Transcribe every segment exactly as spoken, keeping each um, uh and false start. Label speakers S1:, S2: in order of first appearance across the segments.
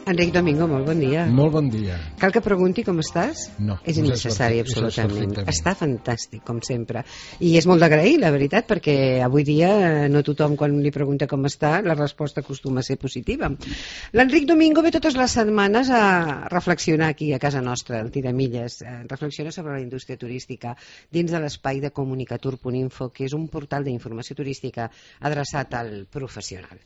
S1: Enric Domingo, molt bon dia.
S2: Molt bon dia.
S1: Cal que pregunti com estàs?
S2: No.
S1: És innecessari, absolutament.
S2: perfectament.
S1: Està fantàstic, com sempre. I és molt d'agrair, la veritat, perquè avui dia no tothom, quan li pregunta com està, la resposta acostuma a ser positiva. L'Enric Domingo ve totes les setmanes a reflexionar aquí, a casa nostra, al Tiramilles. Reflexiona sobre la indústria turística dins de l'espai de comunicatur punt info, que és un portal d'informació turística adreçat al professional.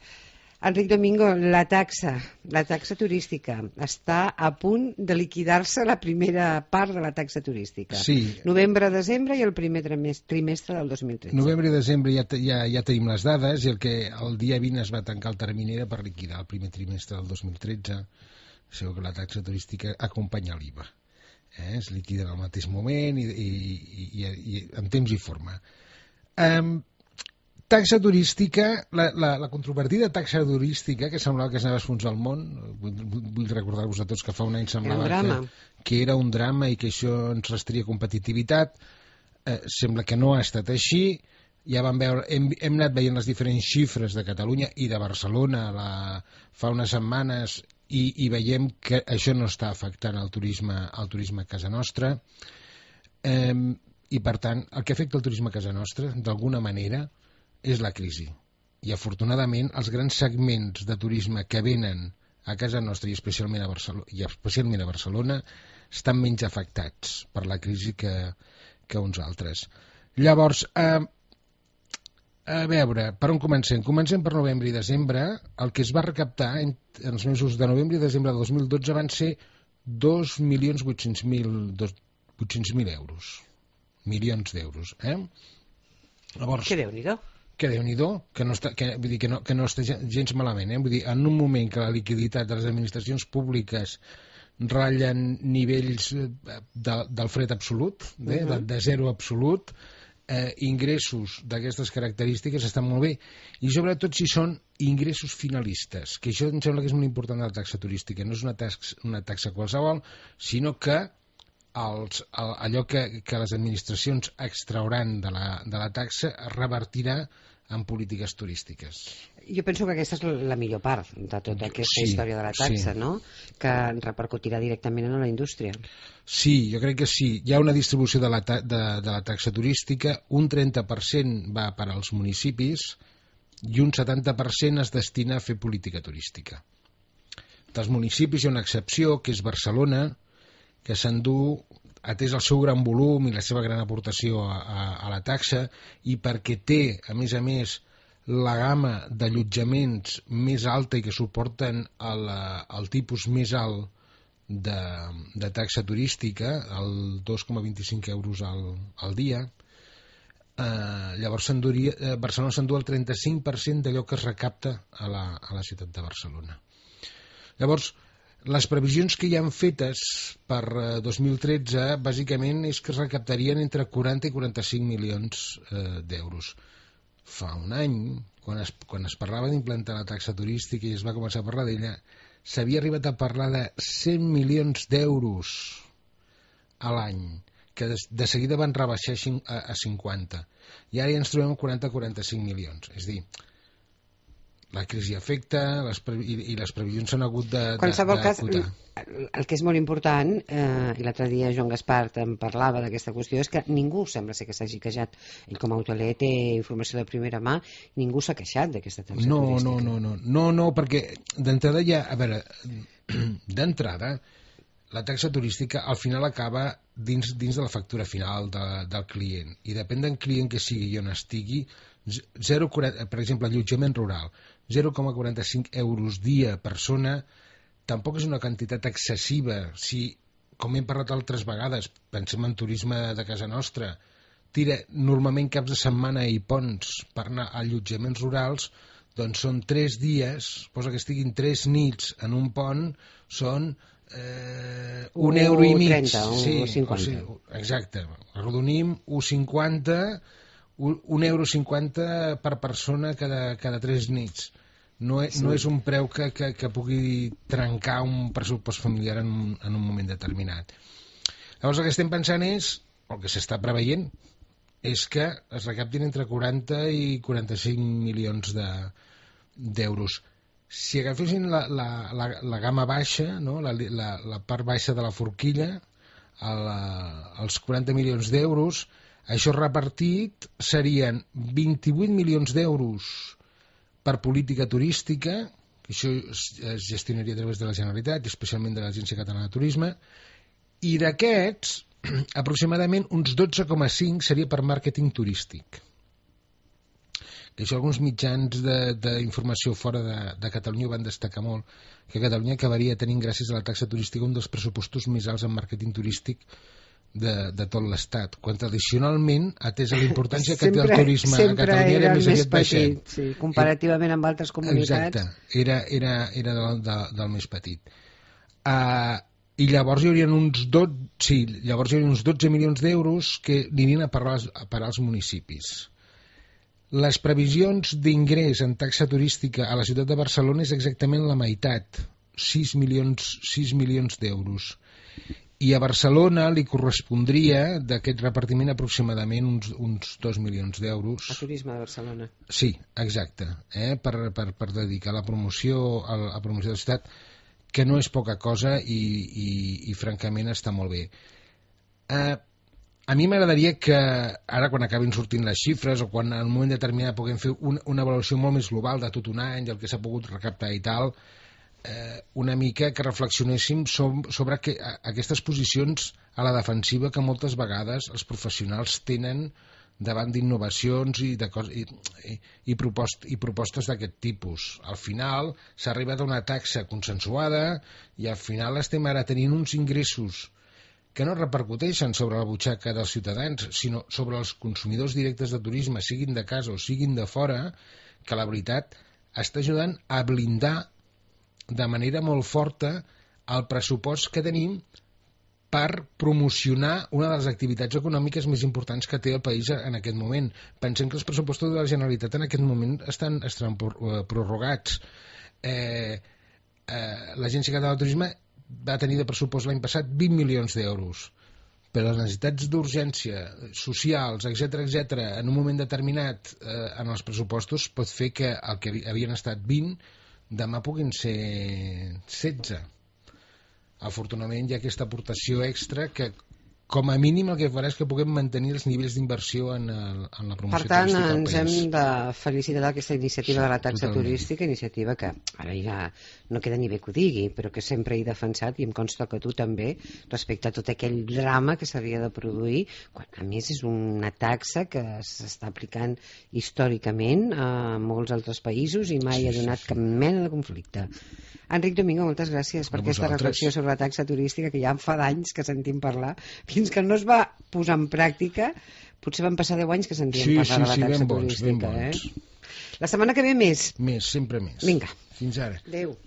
S1: Enric Domingo, la taxa, la taxa turística, està a punt de liquidar-se la primera part de la taxa turística.
S2: Sí.
S1: Novembre, desembre i el primer trimestre del dos mil tretze.
S2: Novembre i desembre ja, ja, ja tenim les dades i el que el dia vint es va tancar el termini era per liquidar el primer trimestre del dos mil tretze. Segur que la taxa turística acompanya l'I V A. Eh? Es liquida en el mateix moment i, i, i, i, i en temps i forma. Um, Taxa turística, la, la, la controvertida taxa turística, que semblava que s'anava a esfonsar el món, vull, vull recordar-vos a tots que fa un any semblava
S1: era
S2: que, que era un drama i que això ens restria competitivitat, eh, sembla que no ha estat així, ja vam veure, hem, hem anat veient les diferents xifres de Catalunya i de Barcelona la, fa unes setmanes i, i veiem que això no està afectant el turisme, el turisme a casa nostra, eh, i per tant, el que afecta el turisme a casa nostra, d'alguna manera, és la crisi. I afortunadament els grans segments de turisme que venen a casa nostra i especialment a Barcelona, i especialment a Barcelona estan menys afectats per la crisi que, que uns altres. Llavors, eh, a veure, per on comencem? Comencem per novembre i desembre. El que es va recaptar en, en els mesos de novembre i desembre de dos mil dotze van ser dos milions vuit-cents mil euros. Milions d'euros. Eh? Llavors,
S1: que Déu-n'hi-do.
S2: Que Déu-n'hi-do, que no està, que, vull dir, que no, que no està gens malament. Eh? Vull dir, en un moment que la liquiditat de les administracions públiques ratllen nivells de, del fred absolut, eh? uh-huh. de, de zero absolut, eh, ingressos d'aquestes característiques estan molt bé. I sobretot si són ingressos finalistes, que això em sembla que és molt important de la taxa turística. No és una taxa, una taxa qualsevol, sinó que els, allò que, que les administracions extrauran de la, de la taxa es revertirà en polítiques turístiques.
S1: Jo penso que aquesta és la millor part de tota aquesta
S2: sí,
S1: història de la taxa,
S2: sí.
S1: no? Que repercutirà directament en la indústria.
S2: Sí, jo crec que sí. Hi ha una distribució de la, ta de, de la taxa turística, un trenta per cent va per als municipis i un setanta per cent es destina a fer política turística. Dels municipis hi ha una excepció, que és Barcelona, que s'endú, atès el seu gran volum i la seva gran aportació a, a, a la taxa, i perquè té, a més a més, la gamma d'allotjaments més alta i que suporten el, el tipus més alt de, de taxa turística, el dos coma vint-i-cinc euros al, al dia, eh, llavors eh, Barcelona s'endú el trenta-cinc per cent d'allò que es recapta a la, a la ciutat de Barcelona. Llavors, les previsions que hi han fetes per dos mil tretze bàsicament és que es recaptarien entre quaranta i quaranta-cinc milions eh, d'euros. Fa un any, quan es, quan es parlava d'implantar la taxa turística i es va començar a parlar d'ella, s'havia arribat a parlar de cent milions d'euros a l'any, que de, de seguida van rebaixar a, a cinquanta. I ara ja ens trobem quaranta a quaranta-cinc milions. És a dir, la crisi afecta les i, i les previsions s'han hagut de, de,
S1: qualsevol
S2: de
S1: cas,
S2: acotar.
S1: El que és molt important, eh, i l'altre dia Joan Gaspar em parlava d'aquesta qüestió, és que ningú sembla ser que s'hagi queixat. Ell com a hoteler té informació de primera mà, ningú s'ha queixat d'aquesta taxa
S2: no,
S1: turística.
S2: No, no, no, no, no, perquè d'entrada ja, a veure, d'entrada, la taxa turística al final acaba dins, dins de la factura final de, del client, i depèn del client que sigui i on estigui, zero, per exemple, allotjament rural, zero coma quaranta-cinc euros dia persona, tampoc és una quantitat excessiva. Si, com hem parlat altres vegades, pensem en turisme de casa nostra, tira normalment caps de setmana i ponts per anar a allotjaments rurals, doncs són tres dies, posa que estiguin tres nits en un pont, són eh, un euro i mig.
S1: trenta,
S2: sí,
S1: un cinquanta.
S2: O sigui, exacte, arrodonim, un cinquanta, un euro cinquanta per persona cada, cada tres nits. No és, sí. no és un preu que, que, que pugui trencar un pressupost familiar en un, en un moment determinat. Llavors el que estem pensant és, el que s'està preveient, és que es recaptin entre quaranta i quaranta-cinc milions de, d'euros. Si agafessin la, la, la, la gamma baixa, no? la, la, la part baixa de la forquilla, el, els quaranta milions d'euros, això repartit serien vint-i-vuit milions d'euros per política turística, que això es, es gestionaria a través de la Generalitat, especialment de l'Agència Catalana de Turisme, i d'aquests, aproximadament uns dotze coma cinc seria per màrqueting turístic. Que això alguns mitjans d'informació fora de, de Catalunya van destacar molt, que Catalunya acabaria tenint, gràcies a la taxa turística, un dels pressupostos més alts en màrqueting turístic de, de tot l'Estat, quan tradicionalment, atès a la importància que té el turisme a Catalunya, era més aviat baixet.
S1: Sí, comparativament amb altres comunitats.
S2: Exacte, era, era, era del, del, del més petit. Uh, I llavors hi haurien uns dotze, sí, llavors hi haurien uns dotze milions d'euros que anirien a parar, a parar als municipis. Les previsions d'ingrés en taxa turística a la ciutat de Barcelona és exactament la meitat, sis milions, sis milions d'euros. I a Barcelona li correspondria d'aquest repartiment aproximadament uns, uns dos milions d'euros.
S1: A turisme de Barcelona.
S2: Sí, exacte, eh? per, per, per dedicar la promoció a la promoció de la ciutat, que no és poca cosa i, i, i francament està molt bé. Eh, a mi m'agradaria que ara quan acabin sortint les xifres o quan en un moment determinat puguem fer un, una avaluació molt més global de tot un any, del que s'ha pogut recaptar i tal, eh, una mica que reflexionéssim sobre, sobre que, a, aquestes posicions a la defensiva que moltes vegades els professionals tenen davant d'innovacions i, de cos, i, i, i, propost, i propostes d'aquest tipus. Al final s'ha arribat a una taxa consensuada i al final estem ara tenint uns ingressos que no repercuteixen sobre la butxaca dels ciutadans, sinó sobre els consumidors directes de turisme, siguin de casa o siguin de fora, que la veritat està ajudant a blindar de manera molt forta el pressupost que tenim per promocionar una de les activitats econòmiques més importants que té el país en aquest moment. Pensem que els pressupostos de la Generalitat en aquest moment estan, estan prorrogats. Eh, eh, L'Agència Catalana de Turisme va tenir de pressupost l'any passat vint milions d'euros. Per les necessitats d'urgència, socials, etcètera, etcètera, en un moment determinat eh, en els pressupostos pot fer que el que havien estat vint demà puguin ser setze. Afortunadament hi ha aquesta aportació extra que com a mínim el que farà és que puguem mantenir els nivells d'inversió en, el, en la promoció
S1: turística al país.
S2: Per tant,
S1: ens hem de felicitar d'aquesta iniciativa sí, de la taxa totalment. turística, iniciativa que ara ja no queda ni bé que ho digui, però que sempre he defensat, i em consta que tu també, respecte a tot aquell drama que s'havia de produir, quan a més és una taxa que s'està aplicant històricament a molts altres països i mai sí, ha donat sí, sí. cap mena de conflicte. Enric Domingo, moltes gràcies per aquesta reflexió sobre la taxa turística, que ja en fa d'anys que sentim parlar, fins que no es va posar en pràctica, potser van passar deu anys que sentíem
S2: sí,
S1: parlar
S2: sí,
S1: de la
S2: sí,
S1: taxa
S2: ben bons,
S1: turística.
S2: Ben bons.
S1: Eh? La setmana que ve més.
S2: Més, sempre més.
S1: Vinga.
S2: Fins ara.
S1: Adéu.